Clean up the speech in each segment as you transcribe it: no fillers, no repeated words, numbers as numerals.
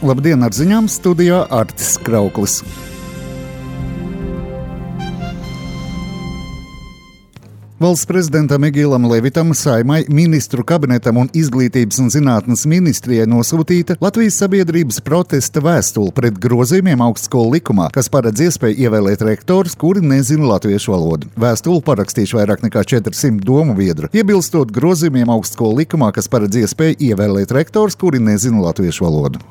Labdien, ar ziņām studijā Artis Krauklis. Valsts prezidentam Egīlam Levitam, Saeimai, ministru kabinetam un izglītības un zinātnes ministrijai nosūtīta Latvijas sabiedrības protesta vēstule pret grozījumiem augstskolu likumā, kas paredz iespēju ievēlēt rektorus, kuri nezina latviešu valodu. Vēstuli parakstījuši vairāk nekā 400 domu biedru, iebilstot grozījumiem augstskolu likumā, kas paredz iespēju ievēlēt rektorus, kuri nezina latviešu valodu.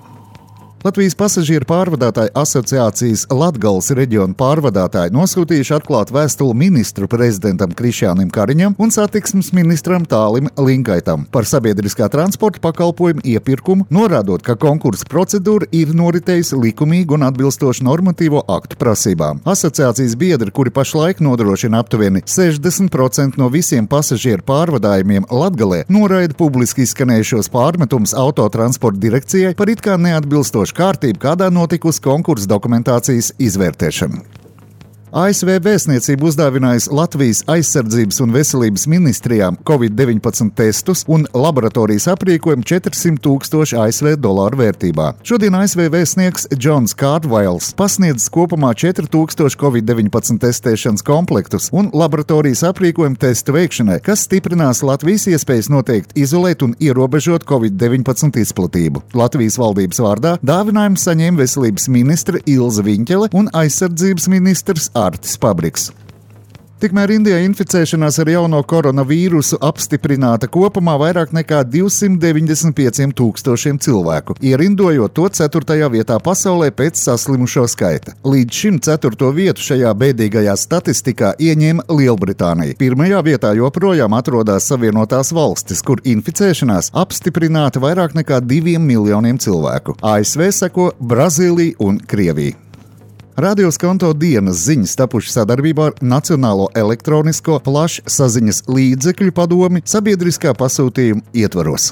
Latvijas pasažieru pārvadātāju asociācijas Latgales reģiona pārvadātāji nosūtījuši atklātu vēstuli ministru prezidentam Krišjānim Kariņam un satiksmes ministram Tālim Linkaitam par sabiedriskā transporta pakalpojumu iepirkumu, norādot, ka konkursa procedūra ir noritējusi likumīgi un atbilstoši normatīvo aktu prasībām. Asociācijas biedri, kuri pašlaik nodrošina aptuveni 60% no visiem pasažieru pārvadājumiem Latgalē, noraida publiski izskanējušos pārmetumus autotransporta direkcijai par it kā neatbilstošu kārtību, kādā notikusi konkursa dokumentācijas izvērtēšana. ASV vēstniecība uzdāvinājusi Latvijas aizsardzības un veselības ministrijām COVID-19 testus un laboratorijas aprīkojumu $400,000 ASV vērtībā. Šodien ASV vēstnieks Džons Kārtvails pasniedz kopumā 4,000 COVID-19 testēšanas komplektus un laboratorijas aprīkojumu testu veikšanai, kas stiprinās Latvijas iespējas noteikt, izolēt un ierobežot COVID-19 izplatību. Latvijas valdības vārdā dāvinājumu saņēma veselības ministre Ilze Viņķele un aizsardzības ministrs Artis Pabriks. Tikmēr Indijā inficēšanās ar jauno koronavīrusu apstiprināta kopumā vairāk nekā 295,000 cilvēku, ierindojot to 4. vietā pasaulē pēc saslimušo skaita. Līdz šim 4. vietu šajā bēdīgajā statistikā ieņēma Lielbritānija. 1. vietā joprojām atrodas Savienotās valstis, kur inficēšanās apstiprināta vairāk nekā 2 miljoniem cilvēku. ASV seko Brazīlija un Krievija. Radio Skonto dienas ziņas tapušas sadarbībā ar Nacionālo elektronisko plašsaziņas līdzekļu padomi sabiedriskā pasūtījuma ietvaros.